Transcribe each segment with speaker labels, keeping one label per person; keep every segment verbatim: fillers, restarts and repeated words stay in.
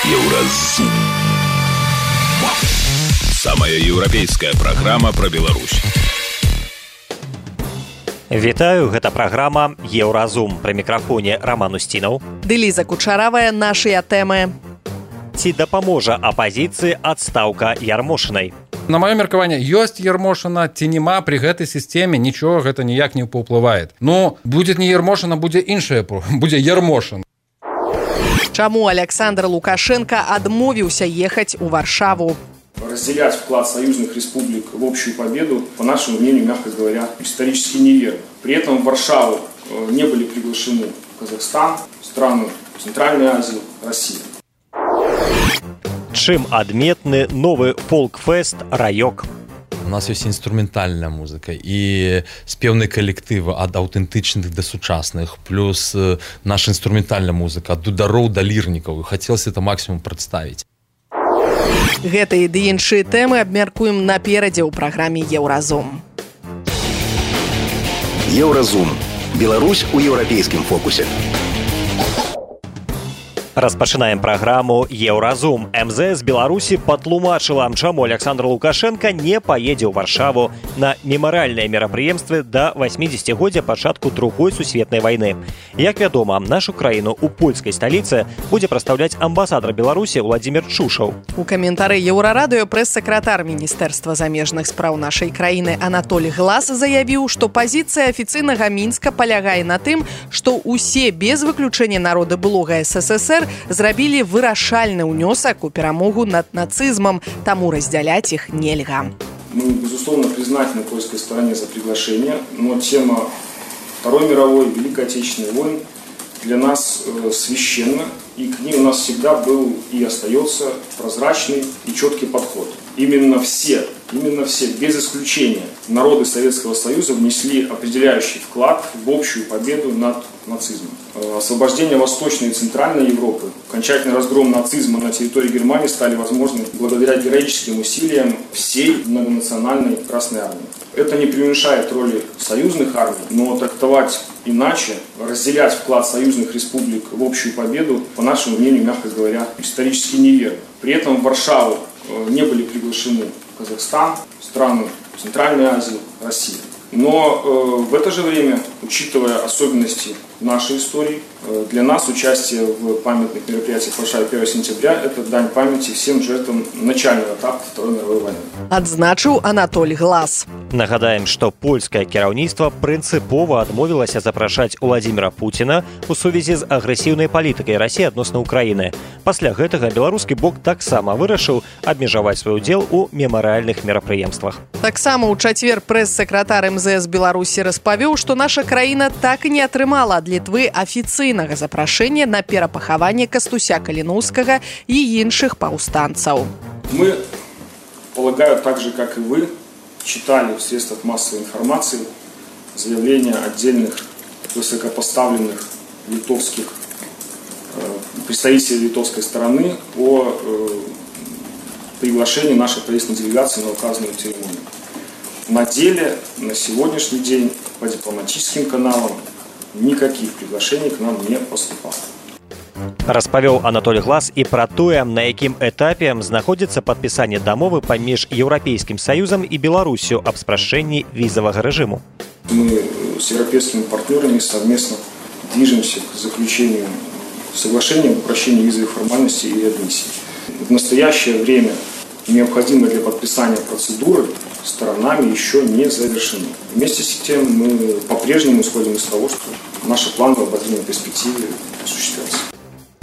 Speaker 1: Еўразум. Самая еўрапейская праграма пра Беларусь.
Speaker 2: Вітаю, гэта праграма Еўразум. Пры мікрафоне Роман Устінаў.
Speaker 3: Ды Ліза Кучаравая, нашыя тэмы.
Speaker 2: Ці дапаможа апазіцыі адстаўка Ярмошынай?
Speaker 4: На маё меркаванне, ёсць Ярмошына ці няма, пры гэтай сістэме нічого гэта ніяк не паўплывае. Ну, будзе не Ярмошына, будзе іншае, будзе Ярмошын.
Speaker 3: Чаму Александр Лукашенко адмовіўся ехаць у Варшаву?
Speaker 5: Разделять вклад союзных республик в общую победу, по нашему мнению, мягко говоря, исторически неверно. При этом в Варшаву не были приглашены Казахстан, страны Центральной Азии, Россия.
Speaker 2: Чым адметны новы фолк-фест «Раёк»?
Speaker 6: У нас ёсць інструментальная музыка і спеўныя калектывы ад аўтэнтычных да сучасных, плюс наша інструментальная музыка ад дудароў да лірнікаў. Хацелася это максімум прадставіць.
Speaker 3: Гэтыя ды іншыя тэмы абмяркуем наперадзе ў праграме Еўразум.
Speaker 1: Еўразум. Беларусь у еўрапейскім фокусе.
Speaker 2: Распачынаем праграму Еўразум. эм зэ эс Беларусі патлумачыла, чаму Александр Лукашенко не паедзе ў Варшаву на мемарыяльныя мерапрыемствы да васьмідзесяцігоддзя пачатку другой сусветнай вайны. Як вядома, нашу краіну ў польскай сталіцы будзе прадстаўляць амбасадар Беларусі Владзімір Чушаў.
Speaker 3: У каментары Еўрарадыё прэс-сакратар Міністэрства замежных спраў нашай краіны Анатоль Глас заявіў, што пазіцыя афіцыйнага Мінска палягае на тым, што ўсе без выключэння народы былога эс эс эс эр зрабілі вырашальны ўнёсак у перамогу над нацизмом, таму разделять их нельга.
Speaker 5: Мы, безусловно, признательны польской стороне за приглашение, но тема Второй мировой, Великой Отечественной войны для нас э, священна, и к ней у нас всегда был и остается прозрачный и четкий подход. Именно все, именно все, без исключения, народы Советского Союза внесли определяющий вклад в общую победу над нацизмом. Освобождение Восточной и Центральной Европы, окончательный разгром нацизма на территории Германии стали возможны благодаря героическим усилиям всей многонациональной Красной Армии. Это не преуменьшает роли союзных армий, но трактовать иначе, разделять вклад союзных республик в общую победу, по нашему мнению, мягко говоря, исторически неверно. При этом в Варшаву не были приглашены Казахстан, страны Центральной Азии, Россия. Но э, в это же время, учитывая особенности нашей истории, э, для нас участие в памятных мероприятиях в Варшаве первого сентября – это дань памяти всем жертвам начального этапа Второй мировой войны.
Speaker 3: Адзначыў Анатоль Глас.
Speaker 2: Нагадаем, што польскае кіраўніцтва прынцыпова адмовілася запрашаць Владзіміра Пуціна ў сувязі з агрэсіўнай палітыкай Расіі адносна Ўкраіны. Пасля гэтага беларускі бок таксама вырашыў абмежаваць свой удзел у мемарыяльных мерапрыемствах.
Speaker 3: Таксама ў чацвер прэс-сакратар эм зэ эс Беларусі распавёў, што наша краіна так і не атрымала ад Літвы афіцыйнага запрашэння на перапахаванне Кастуся Каліноўскага і іншых паўстанцаў.
Speaker 5: Мы, полагаю, так же, как и вы, читали в средствах массовой информации заявления отдельных высокопоставленных литовских э, представителей литовской стороны о э, приглашении нашей правительственной делегации на указанную церемонию. На деле, на сегодняшний день, по дипломатическим каналам никаких приглашений к нам не поступало.
Speaker 2: Распавёў Анатоль Глас і пра тое, на якім этапе знаходзіцца падпісанне дамовы паміж Еўрапейскім Саюзам і Беларусю аб спрашчэнні візавага рэжыму.
Speaker 5: Мы с европейскими партнерами совместно движемся к заключению соглашения об упрощении визовых формальностей и реадмиссии. В настоящее время необходимые для подписания процедуры сторонами еще не завершены. Вместе с тем мы по-прежнему исходим из того, что наши планы в обозримой перспективе осуществятся.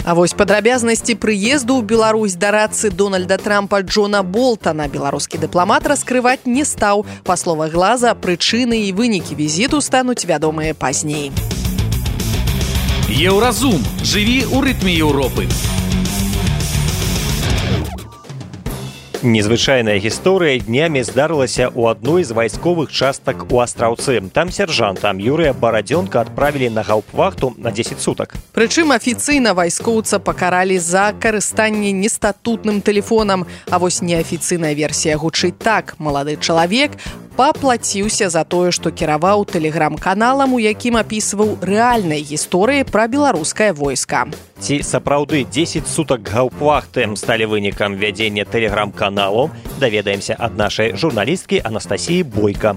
Speaker 3: А вось падрабязнасці прыезду ў Беларусь дарадцы Дональда Трампа Джона Болтана беларускі дыпламат раскрываць не стаў. Па словах Глаза, прычыны і вынікі візіту стануць вядомыя пазней.
Speaker 7: Еўразум. Жыві ў рытме Еўропы.
Speaker 2: Незвычайная гісторыя днямі здарылася ў адной з вайсковых частак у Астраўцы. Там сяржанта Юрыя Барадзёнка адправілі на гаўпвахту на дзесяць сутак.
Speaker 3: Прычым афіцыйна вайскоўца пакаралі за карыстанне нестатутным тэлефонам. А вось неафіцыйная версія гучыць так. Малады чалавек паплаціўся за тое, што кіраваў тэлеграм-каналам, у якім апісваў рэальныя гісторыі пра беларускае войска.
Speaker 2: Ці сапраўды дзесяць сутак гаўпвахты сталі вынікам вядзення тэлеграм-каналу, даведаемся ад нашай журналісткі Анастасіі Бойка.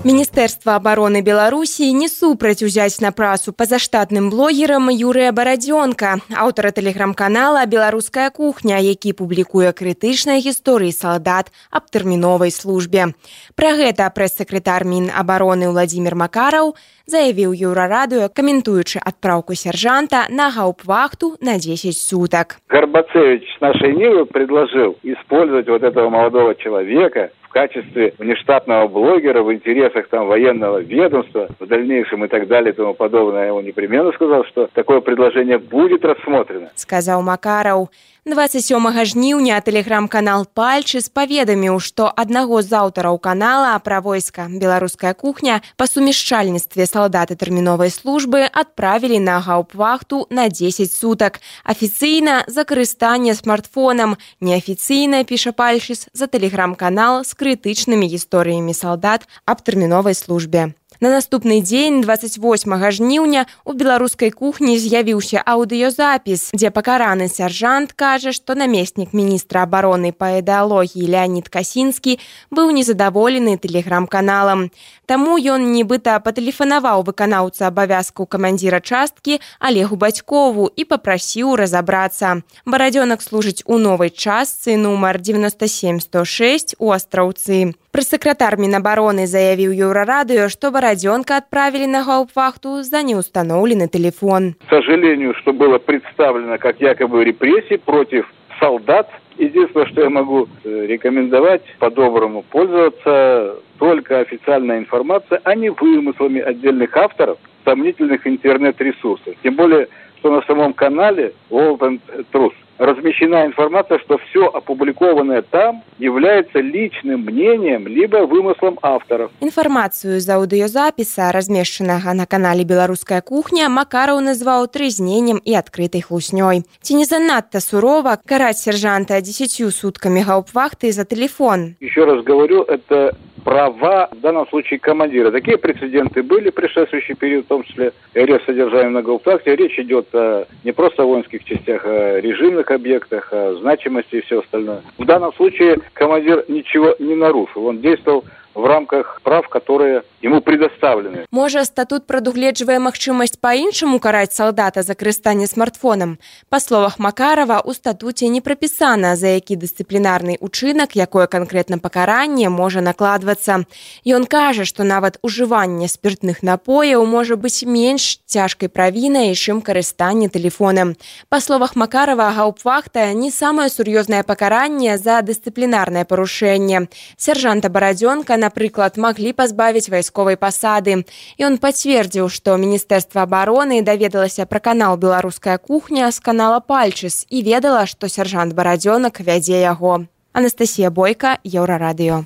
Speaker 8: Міністэрства абароны Беларусі не супраць узяць на працу пазаштатным блогерам Юрыя Барадзёнка, аўтара тэлеграм-канала «Беларуская кухня», які публікуе крытычныя гісторыі салдат аб тэрміновай службе. Пра гэта прэс-сакратар Мінабароны Владзімір Макараў заявіў Еўрарадыё, каментуючы адпраўку сержанта на гаўпвахту на десять суток.
Speaker 9: Горбацевич с нашей Нивы предложил использовать вот этого молодого человека в качестве внештатного блогера в интересах там военного ведомства в дальнейшем и так далее и тому подобное. Я ему непременно сказал, что такое предложение будет рассмотрено.
Speaker 8: Сказал Макаров. двадцать сёмага жніўня тэлеграм-канал «Пальчыс» паведаміў, што аднаго з аўтараў канала пра войска «Беларуская кухня» па сумяшчальніцтве салдаты тэрміновай службы адправілі на гаўпвахту на десять сутак. Афіцыйна за карыстанне смартфонам, неафіцыйна, піша «Пальчыс», за тэлеграм-канал з крытычнымі гісторыямі салдат аб тэрміновай службе. На наступны дзень, двадцать восьмага жніўня, у беларускай кухні з'явіўся аўдыёзапіс, дзе пакараны сяржант кажа, што намеснік міністра абароны па ідэалогіі Леонід Касінскі быў незадаволены тэлеграм-каналам. Таму ён нібыта патэлефанаваў выканаўца абавязкаў камандзіра часткі Алегу Бацькову і папрасіў разабрацца. Барадзёнак служыць у новай частцы нумар девяносто семь сто шесть у Астраўцы. Прэс-сакратар Мінабароны заявіў Еўрарадыё, што Барадзёнка отправили на гауптвахту за неустановленный телефон.
Speaker 9: К сожалению, что было представлено как якобы репрессии против солдат. Единственное, что я могу рекомендовать по-доброму пользоваться только официальной информацией, а не вымыслами отдельных авторов сомнительных интернет-ресурсов. Тем более, что на самом канале World and Truth размещена информация, что все опубликованное там является личным мнением либо вымыслом авторов.
Speaker 8: Информацию из аудиозаписа, размещенного на канале «Белорусская кухня», Макаров назвал трызнением и открытой хлуснёй. Ці не занадто сурово карать сержанта десятью сутками гауптвахты за телефон.
Speaker 9: Еще раз говорю, это права, в данном случае, командира. Такие прецеденты были в предшествующий период, в том числе арест содержания на гауптвахте. Речь идет о, не просто о воинских частях, а о режимных объектах, о значимости и все остальное. В данном случае командир ничего не нарушил. Он действовал в рамках прав, которые ему предоставлены.
Speaker 8: Можа, статут прадугледжвае магчымасць па-іншаму караць салдата за карыстанне смартфонам? Па словах Макарова, у статуце не прапісана, за які дысцыплінарны учынак, якое канкрэтна пакаранне можа накладвацца. Ён кажа, што нават ужыванне спіртных напояў можа быць менш цяжкай правінай, чым карыстанне тэлефонам. Па словах Макарова, гауптвахта не самае сур'ёзнае пакаранне за дысцыплінарнае парушэнне. Сержанта Барадзёнка, напрыклад, маглі пазбавіць вайсковай пасады. Ён пацвердзіў, што Міністэрства абароны даведалася пра канал «Беларуская кухня» з канала «Пальчыс» і ведала, што сержант Барадзёнак вядзе яго. Анастасія Бойка, Еўрарадыё.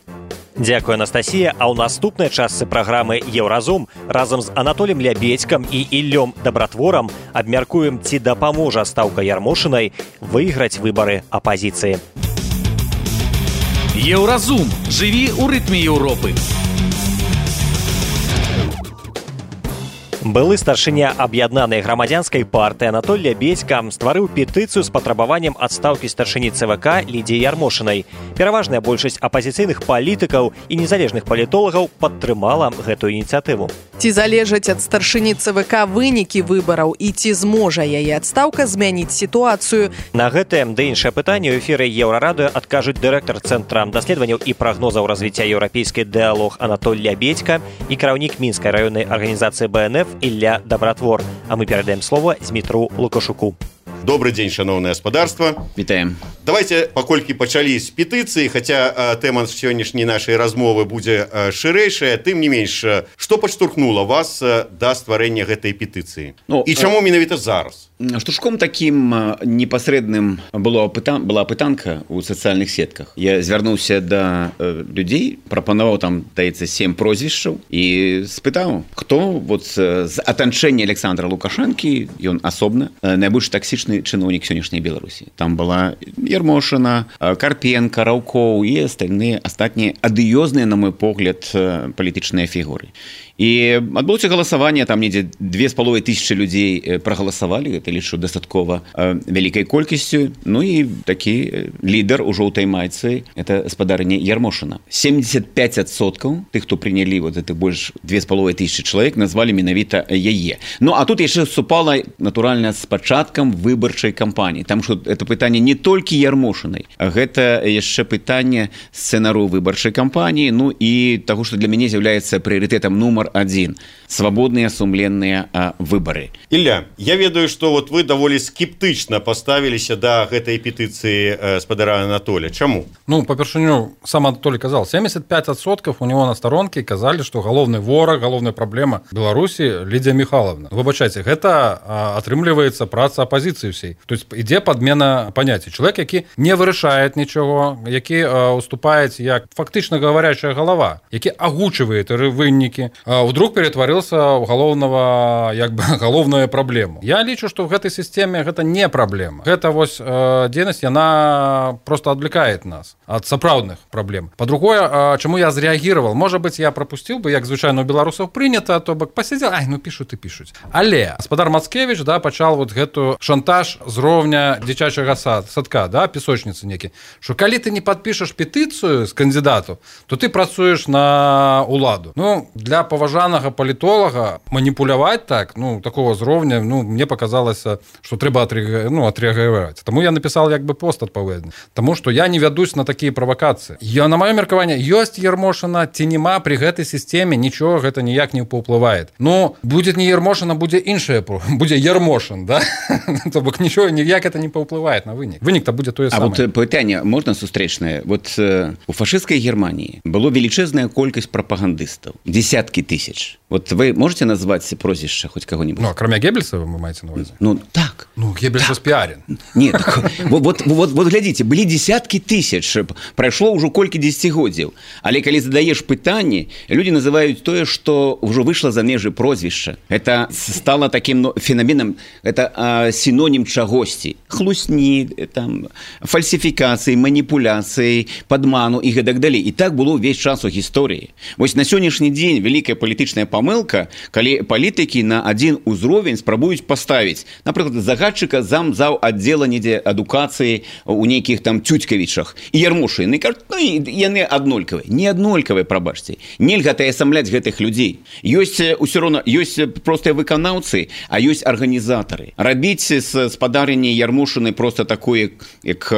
Speaker 2: Дзякуй, Анастасія. А ў наступнай частцы праграмы «Еўразум» разам з Анатолем Лябедзькам і Іллём Дабратворам абмяркуем, ці дапаможа стаўка Ярмошынай выйграць выбары апазіцыі.
Speaker 7: Еўразум. Жыві ў рытме Еўропы.
Speaker 2: Былы старшыня аб'яднанай грамадзянскай партыі Анатоль Лябедзька стварыў петыцыю з патрабаваннем адстаўкі старшыні ЦВК Лідзіі Ярмошынай. Пераважная большасць апазіцыйных палітыкаў і незалежных палітолагаў падтрымала гэтую ініцыятыву.
Speaker 3: Ці залежаць ад старшыні ЦВК вынікі выбараў і ці зможа яе адстаўка змяніць сітуацыю?
Speaker 2: На гэтае ды іншае пытанне ў эфіры Еўрарадыё адкажуць дырэктар Цэнтра даследаванняў і прагнозаў развіцця еўрапейскай дыялог Анатоль Лябедзька і кіраўнік мінскай раённай арганізацыі Бэ Эн Эф Ілля Дабратвор. А мы перадаем слово Змітру Лукашуку.
Speaker 10: Добрый дзень, шановное господарство.
Speaker 11: Вітаем.
Speaker 10: Давайте, паколькі пачалі з петыцыі, хаця э, тэма сённяшняй нашай размовы будзе э, шырэйшая, тым не менш, э, што падштурхнула вас э, да стварэння гэтай петыцыі? Ну, і чаму э, менавіта зараз?
Speaker 11: Штуршком таким непасрэдным было пытан, была пытанка ў сацыяльных сетках. Я звярнуўся да э, людзей, прапанаваў там, даецца, сем прозвішчаў і спытаў, хто вот, з атанчэння Александра Лукашэнкі, ён асобна, э, найбольш таксічны палітычны чыноўнік сённяшняй Беларусі. Там была Ермошына, Карпенка, Раўкоў і астальныя астатнія адыёзныя, на мой погляд, палітычныя фігуры. І адбылося галасаванне, там недзе две з паловай тысячы людзей прагаласавалі, гэта лічу дастаткова вялікай колькасцю. Ну і такі лідар у жоўтай майцы, это спадарыня Ермошына. семьдесят пять адсоткаў тых, хто прынялі вот это больш две з паловай тысячы чалавек, назвалі менавіта яе. Ну а тут яшчэ супала натуральна з пачаткам выбарчай кампаніі. Там што это пытанне не толькі Ермошынай, а гэта яшчэ пытанне сцэнару выбарчай кампаніі, ну і таго, што для мяне з'яўляецца прыярытэтам нумар один. Свободные, сумленные а, выборы.
Speaker 10: Ілля, я ведаю, что вот вы даволі скептычна поставіліся да гэтай петыцыі э, спадара Анатолия. Чаму?
Speaker 4: Ну, по-першыню, сам Анатолий казал, семьдесят пять процентов у него на сторонке казали, что головный ворог, головная проблема Беларуси Лидия Михайловна. Выбачайте, это а, атрымліваецца праца оппозиции всей. То есть ідзе подмена понятий. Человек, який не вырашает ничего, який а, уступает як фактично говорящая голова, який агучивает выники, а, вдруг перетворился уголовного, як бы, головную проблему. Я лічу, что в этой системе это не проблема. Это вось э, дзейнасць, яна просто отвлекает нас от сапраўдных проблем. По-другое, э, чему я зреагировал, может быть, я пропустил бы, як звычайно у беларусаў принято, то бок посидел, ай, ну пишут и пишут. Але спадар Мацкевич, да, пачал вот гэту шантаж з роўня дзіцячага сад, садка, да, песочницы некі, что калі ты не подпишешь петицию с кандидату, то ты працуешь на уладу. Ну, для поважанага політолога маніпуляваць так, ну, такого зроўня, ну, мне показалось, что трэба отреаг... ну, отреагировать. Тому я написал як бы пост адпаведны. Тому что я не вядусь на такие провокации. Я, на маё меркаванне, ёсць Ермошына ці нема при гэтай системе, ничего гэта ніяк не паўплывае. Ну, будет не Ермошына, будзе іншае, будзе Ермошын, да? То бок ничего ніяк это не паўплывае на вынік. Вынік-то будзе тое самае.
Speaker 11: А вот пытанне можна сустрэчнае? Вот э, у фашысцкай Германии было величезная колькасць прапагандыстаў, десятки тысяч. Вот вы можете назвать прозвище хоть кого-нибудь?
Speaker 4: Ну, а кроме Геббельса вы маете на увазі?
Speaker 11: Ну, так.
Speaker 4: Ну, Геббельс распиарен.
Speaker 11: Нет, так, вот, вот, вот, вот глядите, были десятки тысяч, прошло уже колькі десятигоддзяў. Але калі задаешь пытанне, люди называют то, что уже вышло за межы прозвища. Это стало таким ну, феноменом, это а, синоним чагосьці. Хлусні, там, фальсификации, манипуляции, подману и так далее. И так было весь час у истории. Вот на сегодняшний день великая политическая помылка, калі палітыкі на один узровень спрабуюць паставіць, напрыклад, загадчыка замзаў аддзела недзе адукацыі у нейкіх там Тюцькавічах і Ермошыны, кажуць, ну яны аднолькавыя, не аднолькавыя, прабачце. Нельга атаясамляць гэтых людзей. Ёсць усё роўна, ёсць простыя выканаўцы, а ёсць арганізатары. Рабіць з спадарыні Ермошыны просто такое, як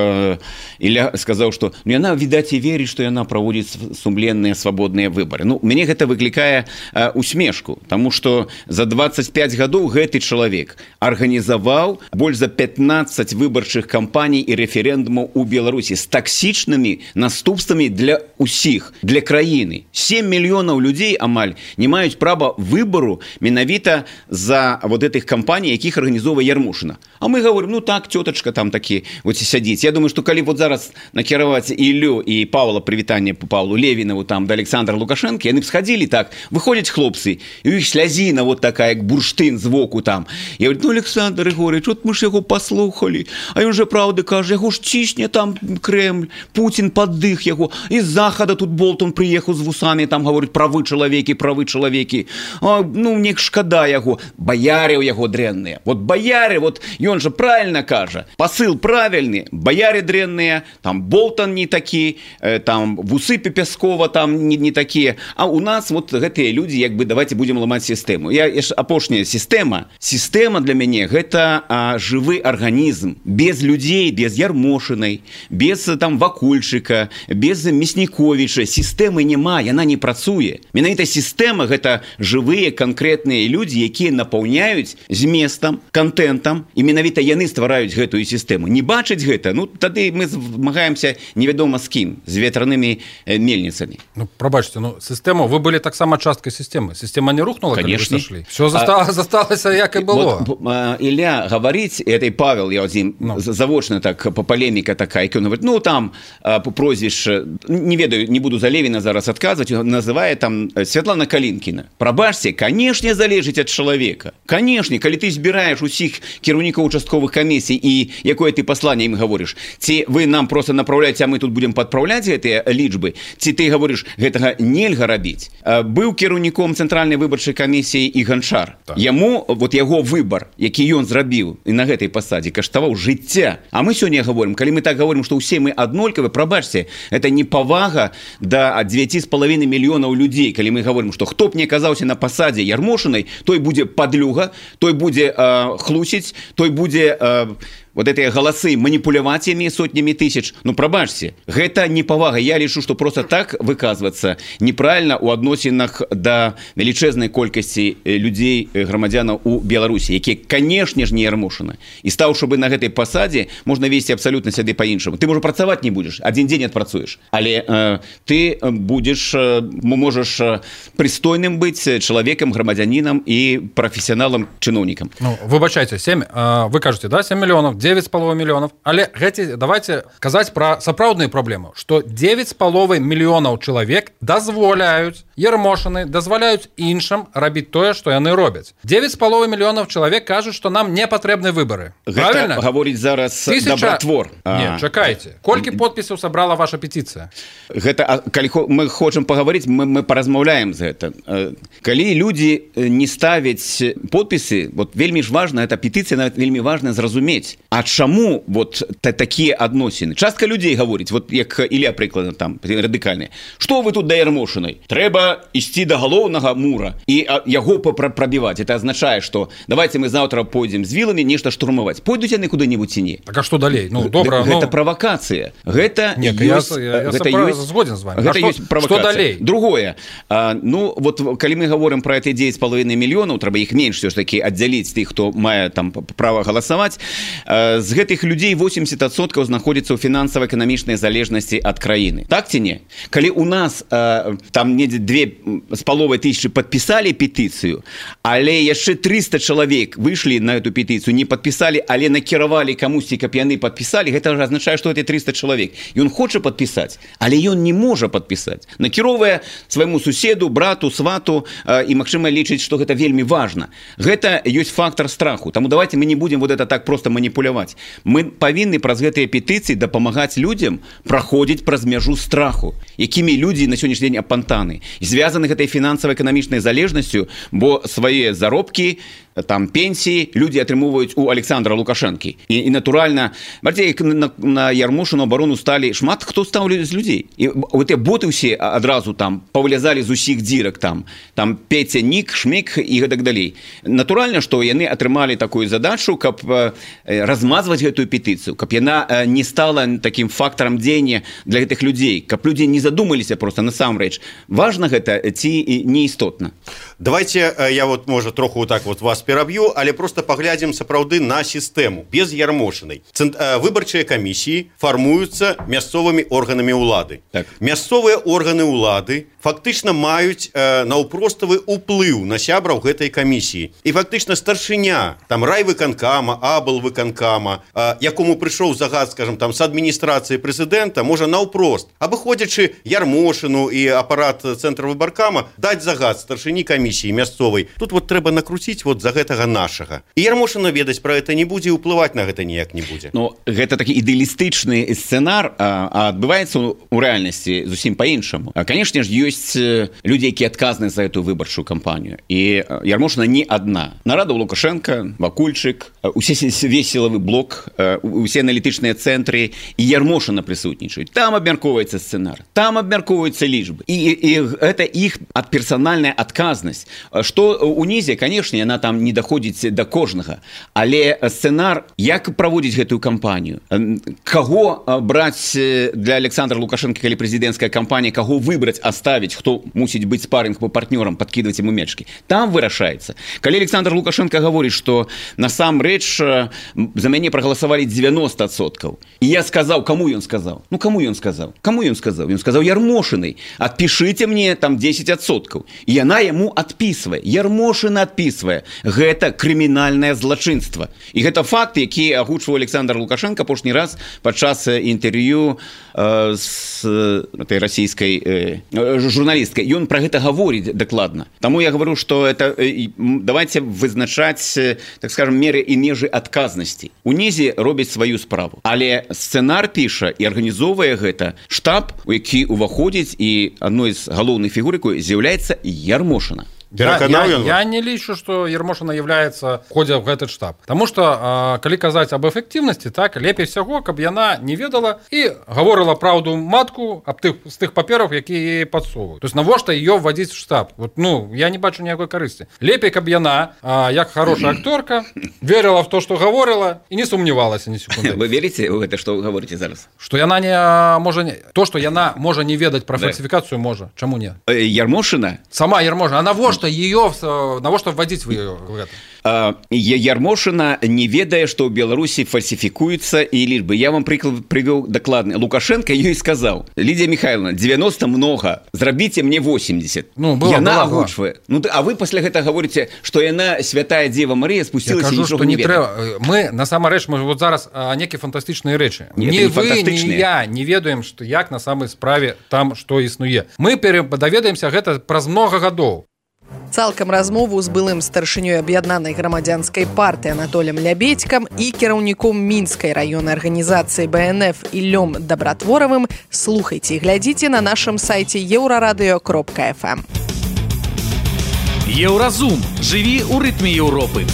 Speaker 11: Ілля сказаў, што ну яна відаць і верыць, што яна праводзіць сумленныя свабодныя выбары. Ну, мяне гэта выклікае усмешку, тому что за двадцать пять гадоў гэты чалавек арганізаваў больш за пятнадцать выбарчых кампаній і рэферэндумаў у Беларусі з таксічнымі наступствамі для усіх, для краіны. семь мільёнаў людзей амаль не маюць права выбару менавіта за вот этих кампаній, якіх арганізоўвае Ермошына. А мы говорим, ну так, тётачка там такі вот сядзіць. Я думаю, что калі вот зараз накіраваць Іллю і Павла, прывітанне по Павлу Левінаву там да Александра Лукашенко, яны б схадзілі так, выходзяць хлопцы, і у іх слязіна вот такая, як бурштын звуку там. Я говорю, ну, Александр Егорович, от мы ж яго паслухалі, а ён же правда кажа, яго ж цісне там Кремль, Путін паддых яго, і з захада тут Болтон прыехаў з вусамі, там гаворыць, правы чалавекі, правы чалавекі. А, ну, мне шкада яго, баяры ў яго дрэнныя. Вот баяры, вот ён же правильно кажа, посыл правильны, баяры дрэнныя, там Болтон не такі, там вусы Пяскова там не, не такія, а у нас вот гэтыя людзі, як бы, давайте будем ламаць сістэму. Я, я апошняя сістэма. Сістэма для мяне гэта а, жывы арганізм. Без людзей, без Ермошынай, без там Вакульчыка, без Мясніковіча. Сістэмы няма, яна не працуе. Менавіта сістэма гэта жывыя канкрэтныя людзі, якія напаўняюць зместам, контентам, і менавіта яны ствараюць гэтую сістэму. Не бачыць гэта, ну тады мы змагаемся невядома з кім, з ветранымі мельніцамі.
Speaker 4: Ну, прабачце, ну, сістэму, вы былі таксама часткай сістэмы. системы. Система не рухнула,
Speaker 11: конечно.
Speaker 4: Сошли. Все засталось, а, засталось, как и было.
Speaker 11: Вот, Илья говорить, это и Павел, я вот им ну. завочно так, по полемика такая, он говорит, ну, там, по прозвище, не ведаю, не буду за Левина зараз отказывать, называет там Святлана Калинкина. Пробачьте, конечно, залежить от человека. Конечно, когда ты избираешь у всех кирівников участковых комиссий, и какое ты послание им говоришь, те вы нам просто направляете, а мы тут будем подправлять эти личбы, те ты говоришь, гэтага нельга рабіць. Быў кіраўніком цэнтральнай выбарчай камісіі і Ганчар. Так. Яму, вот яго выбор, які ён зрабіў і на гэтай пасадзе, каштаваў жыцця. А мы сёння говорим, калі мы так говорим, што ўсе мы аднолькавы, прабачце, это непавага да девяти с половиной мільёнаў людзей, калі мы говорим, што хто б не аказаўся на пасадзе Ярмошынай, той будзе падлюга, той будзе э, хлусіць, той будзе э, вот гэтыя галасы маніпуляваць імі сотнямі тысяч. Ну, прабачце, гэта непавага. Я лічу, што просто так выказвацца неправільна ў адносінах да велічэзнай колькасці людзей, грамадзянаў у Беларусі, якія, канешне ж, не Ярмошына. І стаўшы бы на гэтай пасадзе, можна весці абсалютна сябе па-іншаму. Ты, можа, працаваць не будзеш, адзін дзень адпрацуеш, але э, ты будзеш, э, можаш прыстойным быць чалавекам, грамадзянінам і прафесіяналам, чыноўнікам.
Speaker 4: Ну, выбачайце, семь, э, вы кажаце, да, семь мільёнаў, девять с половиной миллионов. Але гэти, давайте казаць про сапраўдныя праблемы, что девять с половиной миллионов человек дазволяюць Ярмошыны, дазваляюць іншым рабіць тое, што яны робяць. девять с половиной миллионов человек кажуць, што нам не патрэбны выборы. Правильно?
Speaker 11: Гэта гаворыць зараз
Speaker 4: Тысяча...
Speaker 11: добратвор.
Speaker 4: Не, чакайце. Колькі подпісаў сабрала ваша петиция?
Speaker 11: Гэта, калі мы хочам паговорыць, мы, мы паразмаўляем за это. Калі люди не ставяць подпісы, вот вельмі ж важна, эта петиция нават вельмі важна зразумець. А чаму вот такія адносіны? Частка людзей гаворыць, вот як Ілля прыкладна там, радыкальныя. Што вы тут да Ярмошынай? Трэба ісці да галоўнага мура і яго прабіваць. Это азначае, што давайте мы заўтра пойдзем з віламі нешта штурмаваць. Пойдуць яны куды-небудзь ці не?
Speaker 4: Так а што далей? Ну, добра,
Speaker 11: гэта
Speaker 4: ну...
Speaker 11: правакацыя. Гэта
Speaker 4: не, ёсць, я, я,
Speaker 11: гэта
Speaker 4: я
Speaker 11: ёсць,
Speaker 4: згоден з вами.
Speaker 11: Гэта
Speaker 4: а
Speaker 11: ёсць
Speaker 4: што,
Speaker 11: правакацыя.
Speaker 4: Што далей?
Speaker 11: Другое. А, ну, вот калі мы гаворым пра эти девять с половиной мільёнаў, трэба іх менш все ж таки аддзяліць тых, хто мае там права галасаваць. А, з гэтых людзей восемьдесят процентов знаходзіцца ў фінансава-эканамічнай залежнасці ад краіны. Так ці не? Калі у нас э, там недзе две з паловай тысячы падпісалі петыцыю, але яшчэ триста чалавек выйшлі на эту петыцыю, не падпісалі, але накіравалі камусьці, каб яны падпісалі, гэта азначае, што это триста чалавек. Ён хоча падпісаць, але ён не можа падпісаць. Накіроўвае свайму суседу, брату, свату э, і, магчыма, лічыць, што гэта вельмі важна. Гэта ёсць фактор страху. Таму давайте мы не будем вот это так просто маніпуляваць. Мы павінны праз гэтыя петыцыі дапамагаць людзям праходзіць праз мяжу страху, якімі людзі на сённяшні дзень апантаны, звязаны гэтай фінансава-эканамічнай залежнасцю, бо свае заробкі, там пенсии люди атрымоўваюць у Александра Лукашэнкі. І, і натуральна, бачыце, на, на Ярмошыну абарону сталі шмат хто стаў з людзей. І гэтыя боты ўсе адразу там павылязалі з усіх дзірак там, там Петя, Нік, Шмік і гэтак далей. Натуральна, што яны атрымалі такую задачу, каб размазваць гэтую петыцыю, каб яна не стала таким фактарам дзеяння для гэтых людзей, каб людзі не задумаліся просто насамрэч. Важна гэта ці неістотна.
Speaker 10: Давайте я вот, можа, троху вот так вот вас пераб'ю, але просто паглядзім сапраўды на сістэму без Ярмошынай. Выбарчыя камісіі фармуюцца мясцовымі органамі ўлады. Так. Мясцовыя органы ўлады фактычна маюць э, наўпроставы ўплыў на сябраў гэтай камісіі. І фактычна старшыня там райвыканкама, аблвыканкама, э, якому прыйшоў загад, скажем, там с адміністрацыі прэзідэнта, можа наўпрост, абыходзячы Ярмошыну і апарат цэнтра выбаркама, даць загад старшыні камісіі мясцовай. Тут вот трэба накруціць вот за гэтага нашага. І Ярмошына ведаць пра гэта не будзе, і ўплываць на гэта ніяк не будзе.
Speaker 11: Ну, гэта такі ідэалістычны сцэнар, а, а адбываецца у рэальнасці зусім па-іншаму. Канешне ж, ёсць людзі, якія адказныя за эту выбарчую кампанію. І Ярмошына не адна. Нарадаў Лукашенко, Вакульчык, усе весілавы блок, усе аналітычныя цэнтры, і Ярмошына прысутнічаюць. Там абмяркоўваецца сцэнар, там абмяркоўваюцца лічбы. І, і гэта іх персанальная адказнасць. Што унізе, канешне, яна там не даходзіць да кожнага. Але сцэнар, як праводзіць гэтую кампанію, каго браць для Александра Лукашенко, калі прэзідэнцкая кампанія, каго выбраць, аставіць ставіць, хто мусіць быць спарринг по партнёрам, подкидывать ему мячки. Там вырашаецца. Калі Александр Лукашенко гаворыць, што насамрэч за мяне прагаласавалі девяносто адсоткаў. І я сказаў, каму ён сказаў? Ну, каму ён сказаў? Каму ён сказаў? Ён сказаў Ярмошынай: адпішыце мне там десять адсоткаў. І яна яму адпісвае. Ярмошына адпісвае. Гэта крымінальнае злачынства. І гэта факт, які агучваў Александр Лукашенко апошні раз падчас інтэрв'ю э, з этой расійскай э, журналісткай. Ён пра гэта гаворыць дакладна. Таму я говорю, што это э, давайте вызначаць, э, так скажем, меры і межы адказнасці. Унізе робіць сваю справу. Але сцэнар піша і арганізоўвае гэта штаб, у які ўваходзіць, і адной з галоўных фігур якой з'яўляецца Ярмошына.
Speaker 4: Я, я, я не лічу, што Ярмошына являецца входзе ў гэты штаб. Таму што, а, калі казаць аб эфектыўнасці, так, лепей всяго, каб яна не ведала і гаворыла праўду матку аб тых, з тых папераў, якія яе падсовваюць. То есть навошта ее вводзіць в штаб? Вот, ну, я не бачу ніякой карысці. Лепей, каб яна, а, як хорошая акторка, верила в то, што гаворыла, і не сумнівалася ні секунды.
Speaker 11: Вы верите ў гэта, што вы гаворыце зараз?
Speaker 4: Што яна не можа... То, што яна можа не ведаць пра фальсіфікацыю, можа. Чаму не?
Speaker 11: Ярмошына?
Speaker 4: Сама Ярмошына. А навошта ее, навошта вводить в ее в это?
Speaker 11: Ярмошына не ведае, што ў Беларусі фальсіфікуюцца і лічбы. Я вам прыклад прывёў дакладны. Лукашенко ёй сказаў: Лидия Михайловна, девяносто много, зрабіце мне восемьдесят.
Speaker 4: Ну, было,
Speaker 11: яна
Speaker 4: было,
Speaker 11: агучвае. Ну, а вы пасля гэта гаворыце, што яна святая Дева Мария спусцілася і нічога не ведае.
Speaker 4: Трэба. Мы, насамрэч, мы вот зараз некія фантастычныя рэчы.
Speaker 11: Не,
Speaker 4: не
Speaker 11: не
Speaker 4: вы, не я не ведаем, што як на самай справе там што існуе. Мы даведаемся гэта праз многа гадоў.
Speaker 3: Цалкам размову з былым старшынёй аб'яднанай грамадзянскай партыі Анатолем Лябедькам і кіраўніком мінскай раённай арганізацыі бэ эн эф Іллём Дабратворавым слухайце і глядзіце на нашым сайце еўрарадыё кропка эф эм.
Speaker 7: Еўразум. Жыві ў рытме Еўропы.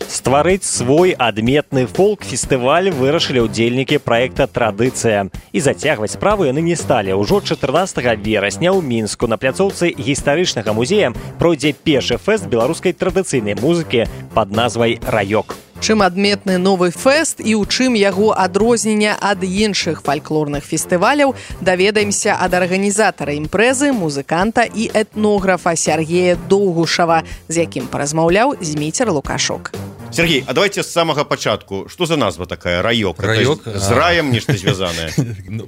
Speaker 2: Стварыць свой адметны фолк-фестываль вырашылі ўдзельнікі праекта «Традыцыя». І зацягваць справу яны не сталі. Ужо чатырнаццатага верасня ў Мінску на пляцоўцы гістарычнага музея пройдзе першы фэст беларускай традыцыйнай музыкі пад назвай «Раёк».
Speaker 3: Чым адметны новы фэст і ў чым яго адрознення ад іншых фальклорных фестываляў, даведаемся ад арганізатара імпрэзы, музыканта і этнографа Сергея Доўгушава, з якім паразмаўляў Зміцер Лукашук.
Speaker 10: Сергей, а давайте с самого початку. Что за назва такая? Раёк?
Speaker 6: Раёк?
Speaker 10: З раем нешта звязанае?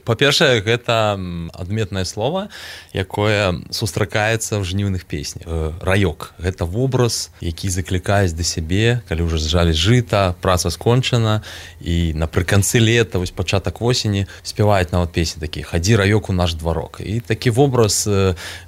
Speaker 6: Па-першае, гэта адметнае слово, якое сустракаецца ў жніўных песнях. Раёк. Гэта вобраз, які заклікаюць да сябе, калі ўжо зжалі жыта, праца скончана, і напрыканцы лета, вось пачатак восені, спяваюць нават песні такія: «Хадзі, раёк, у наш дварок». І такі вобраз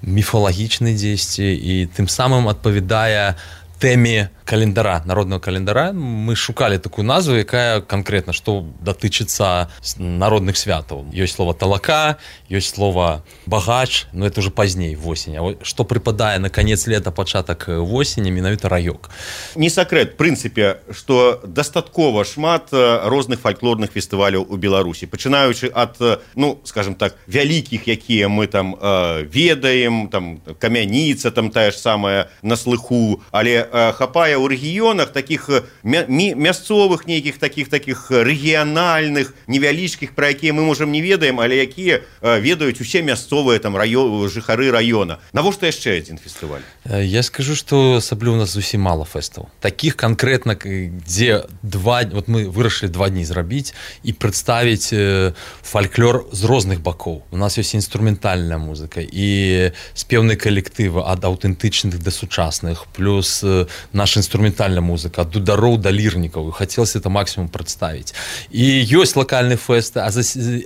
Speaker 6: міфалагічны дзесьці, і тым самым адпавядае тэме календара, народного календара. Мы шукали такую назву, якая конкретно, что датычыцца народных святаў. Ёсць слово «талака», ёсць слово «багач», но это уже пазней, в осень. А что припадае на конец лета, пачатак восені, менавіта раёк.
Speaker 10: Не секрет, в принципе, что дастаткова шмат розных фальклорных фестываляў у Беларусі, пачынаючы ад, ну, скажем так, вялікіх, якія мы там э, ведаем, там Камяніца, там тая ж самая на слыху, але э, хапае у рэгіёнах таких мя мясцовых нейкіх таких таких рэгіянальных невялічкіх, пра якія мы можам не ведаем, але якія э, ведаюць усе мясцовыя там раё... жыхары раёна. Навошта яшчэ адзін фестываль?
Speaker 6: Я скажу, что асабліва у нас зусім мало фэстаў. Таких конкретно, дзе два, вот мы вырашылі два дні зрабіць і прадставіць э, фальклор з розных бакоў. У нас ёсць інструментальная музыка і спеўныя калектывы ад аўтэнтычных да сучасных, плюс э, наша инструментальная музыка, от дудароў до лірнікаў, хацелася это максимум прадставіць. І ёсць локальныя фэсты,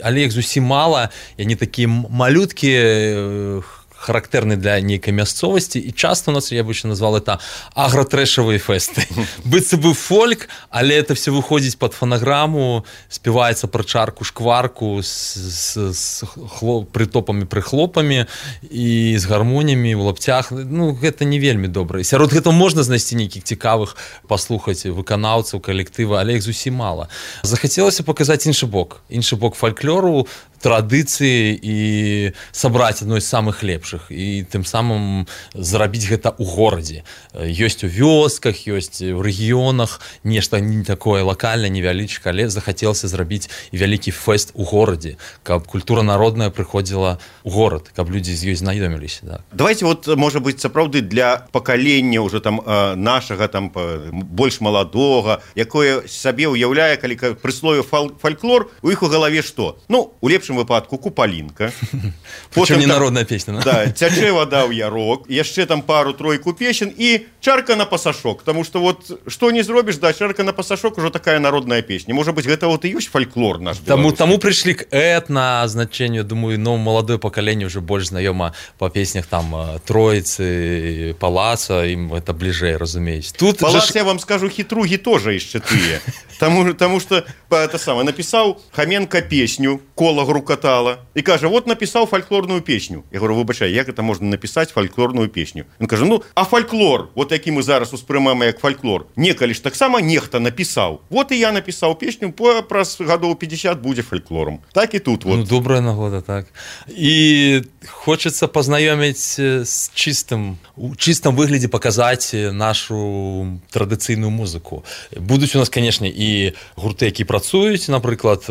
Speaker 6: але іх зусім мала, і они такія малюткія, характерны для нейкай мясцовасці, і часто у нас, я бы еще назвал это агротрэшавыя фэсты. Быццам бы фольк, але это все выходзіць под фонограмму, спеваецца пра чарку, шкварку с, с хлоп, прытопамі, прыхлопамі і з гармоніямі ў лапцях. Ну, гэта не вельмі добра. Сярод гэтага можна знайсці нейкіх цікавых паслухаць выканаўцаў, калектыва, але іх зусім мала. Захацелася паказаць іншы бок, іншы бок фальклору, традыцыі і сабраць адной з самых лепшых і тым самым зрабіць гэта ў горадзе. Ёсць у вёсках, ёсць у рэгіёнах нешта не такое лакальнае, невялічка, але захацелася зрабіць і вялікі фэст у горадзе, каб культура народная прыходзіла ў горад, каб людзі з ёй знаёміліся. Так.
Speaker 10: Давайте вот, можа быць, сапраўды для пакалення ўжо там нашага там больш маладога, якое сабе ўяўляе, калі прыслове фальклор, у іх у галаве што? Ну, у лепшым выпадку купалінка.
Speaker 6: Прычым не народная песня.
Speaker 10: Да, цячэ вада ў ярок, яшчэ там пару-тройку песен і чарка на пасашок, таму што вот што не зробіш, да, чарка на пасашок ужо такая народная песня. Можа быць, гэта вот і ёсць фальклор наш.
Speaker 6: Таму, таму прыйшлі к этна значенню, думаю, ну, маладое пакаленне ўжо больш знаёма па песнях там Троіцы, Палаца, ім это бліжэй, разумеюць. Тут
Speaker 10: Палац,
Speaker 6: ж...
Speaker 10: я вам скажу, хітругі тоже яшчэ тыя. Таму, таму што, это самае, напісаў Хаменка песню, кола грукатала, і кажа, вот напісаў фальклорную песню. Я говорю, выбачай, як это можна напісаць фальклорную песню? Ён кажа, ну, а фальклор, вот які мы зараз успрымаем як фальклор, некалі ж таксама нехта напісаў. Вот і я напісаў песню, праз гадоў пятьдесят будзе фальклором. Так і тут вот.
Speaker 6: Ну, добрая нагода, так. І хочацца пазнаёміць з чыстым, у чыстым выглядзе паказаць нашу традыцыйную музыку. Будуць у нас, канешне, і гурты, які працуюць, напрыклад,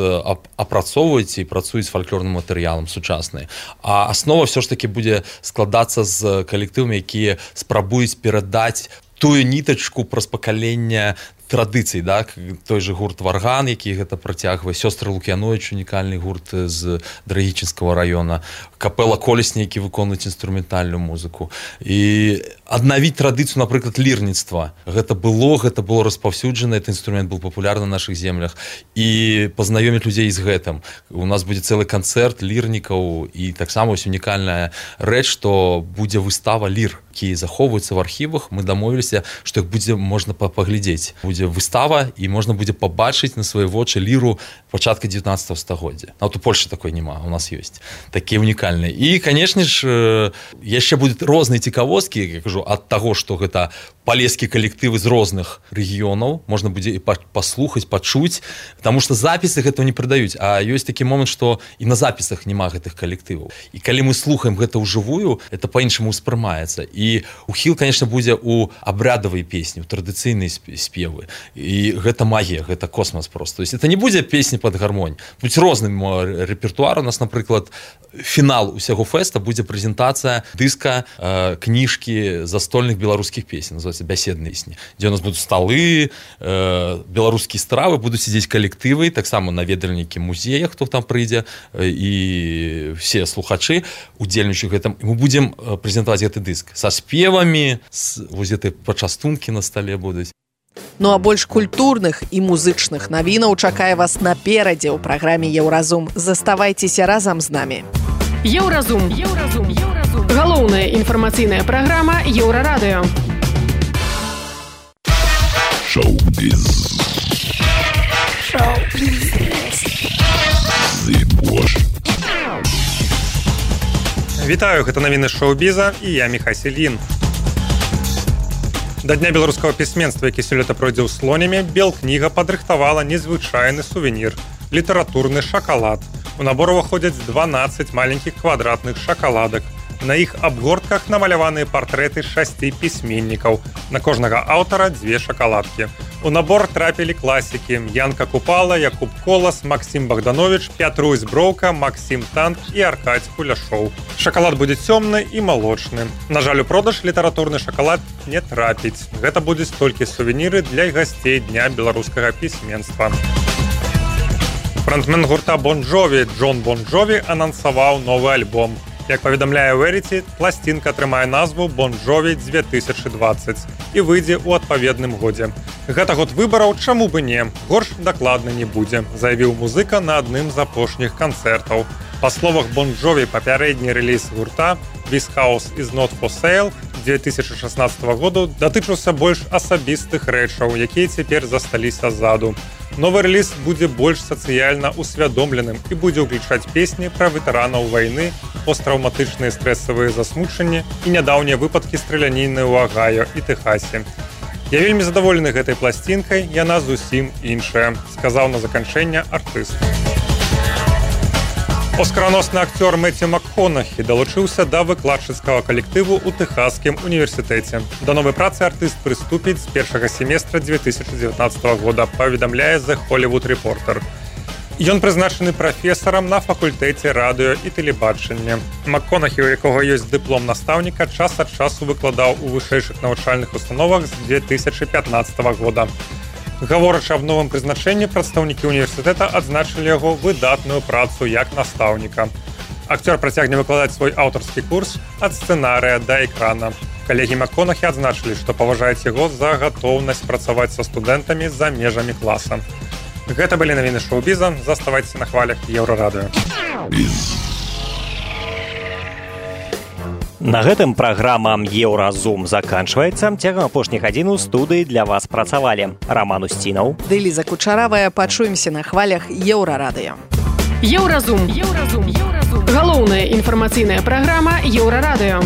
Speaker 6: апрацоўваюць і працуюць з фальклорным матэрыялам сучаснай. А аснова ўсё ж такі будзе складацца з калектывамі, якія спрабуюць перадаць тую нітачку праз пакаленне традыцый, так? Той же гурт Варган, які гэта працягвае, сёстры Лук'яновіч, унікальны гурт з Драгічынскага раёна, капэла Колесні, які выконваюць інструментальную музыку. І аднавіць традыцыю, напрыклад, лірніцтва. Гэта было, гэта было распаўсюджана, этот інструмент быў папулярны на нашых землях. І пазнаёміць людзей з гэтым. У нас будзе цэлы канцэрт лірнікаў, і таксама ёсць унікальная рэч, што будзе выстава лір, якія захоўваюцца в архівах. Мы дамовіліся, што іх будзе можна паглядзець. Будзе выстава, і можна будзе пабачыць на свае вочы ліру пачатка дзевятнаццатага стагоддзя. А вот у Польшы такой няма, у нас ёсць. Такія унікальныя. І, канешне ж, яшчэ будуць розныя цікавосткі, я кажу, ад таго, што гэта палескі калектывы з розных рэгіёнаў, можна будзе і паслухаць, пачуць, таму што запісы гэтага не прадаюць. А ёсць такі момант, што і на запісах няма гэтых калектываў. І калі мы слухаем гэта ўжывую, это па-іншаму ўспрымаецца. І ухіл, канешне, будзе ў абрядавай песні, у традыцыйнай спевы. І гэта магія, гэта космас просто. То есть это не будзе песні пад гармонь. Будзе розны рэпертуар. У нас, напрыклад, фінал усяго фэста будзе прэзентацыя дыска, э, кніжкі застольных беларускіх песень, называется бяседныя песні, дзе у нас будуць сталы, э, беларускія стравы, будуць сидзець калектывы, таксама наведальнікі музея, хто там прыйдзе, э, і все слухачы удзельнічаюць гэтым. І мы будзем прэзентаваць гэты дыск са спевамі, з вось гэтай пачастункі на стале будуць.
Speaker 3: Ну а больш культурных і музычных навінаў чакае вас наперадзе ў праграме «Еўразум». Заставайцеся разам з намі.
Speaker 12: Еўразум. Еўразум. Еўразум. Галоўная інфармацыйная праграма Еўрарадыё.
Speaker 13: Шоу-біз. Шоу-біз. Зыбош.
Speaker 14: Вітаю, гэта навіны шоу-біза і я Міхась Ільін. Да дня беларускага пісьменства, які сёлета пройдзе ў Слонімі, Белкніга падрыхтавала незвычайны сувенір – літаратурны шакалад. У набор уваходзяць дванаццаць маленькіх квадратных шакаладак. На іх абгортках намаляваныя партрэты шасці пісьменнікаў. На кожнага аўтара дзве шакаладкі. У набор трапілі класікі Янка Купала, Якуб Колас, Максім Богданович, Пятрусь Броўка, Максім Танк і Аркадзь Куляшоў. Шакалад будзе цёмны і малочны. На жаль, у продаж літаратурны шакалад не трапіць. Гэта будуць толькі сувеніры для гасцей Дня беларускага пісьменства. Франтмен гурта Бон Джові Джон Бон Джові анансаваў новы альбом. Як паведамляе Verity, пласцінка атрымае назву «Бон Джові две тысячы двадцать» і выйдзе ў адпаведным годзе. Гэта год выбараў, чаму бы не, горш дакладна не будзе, заявіў музыка на адным з апошніх канцэртаў. Па словах Бон Джові, папярэдні рэліз гурта «This House is not for sale» две тысячи шестнадцатого году датычыўся больш асабістых рэчаў, якія цяпер засталіся ззаду. Новы рэліз будзе больш сацыяльна усвядомленым і будзе ўключаць песні пра ветэранаў вайны, посттравматычныя стрэсавыя засмучанні і нядаўнія выпадкі страляніны ў Агайо і Тэхасе. Я вельмі задаволены гэтай пласцінкай, яна зусім іншая, сказаў на заканчэнне артыст. Оскараносны актёр Мэццю МакКонахі далучыўся да выкладчыцкага калектыву ў Тэхасскім універсітэце. Да новай працы артыст прыступіць з першага семестра две тысячи девятнадцатого года, паведамляе The Hollywood Reporter. Ён прызначаны прафесарам на факультэце радыё і тэлебачання. МакКонахі, у якога ёсць дыплом настаўніка, час ад часу выкладаў у вышэйшых навучальных установах з две тысячи пятнадцатого года. Гаворачы аб новым прызначэнні, прадстаўнікі універсітэта адзначылі яго выдатную працу як настаўніка. Акцёр працягне выкладаць свой аўтарскі курс ад сцэнарыя да экрана. Калегі МакКонахі адзначылі, што паважаюць яго за гатоўнасць працаваць са студэнтамі за межамі класа. Гэта былі навіны шоу-біза. Заставайцеся на хвалях Еўрарадыё.
Speaker 2: На гэтым праграма «Еўразум» заканчваецца. Цягам апошніх гадзін у студыі для вас працавалі Раман Усцінаў
Speaker 3: ды Ліза Кучаравая. Пачуемся на хвалях Еўрарадыё.
Speaker 12: Еўразум. Еўразум. Галоўная інфармацыйная праграма Еўрарадыё.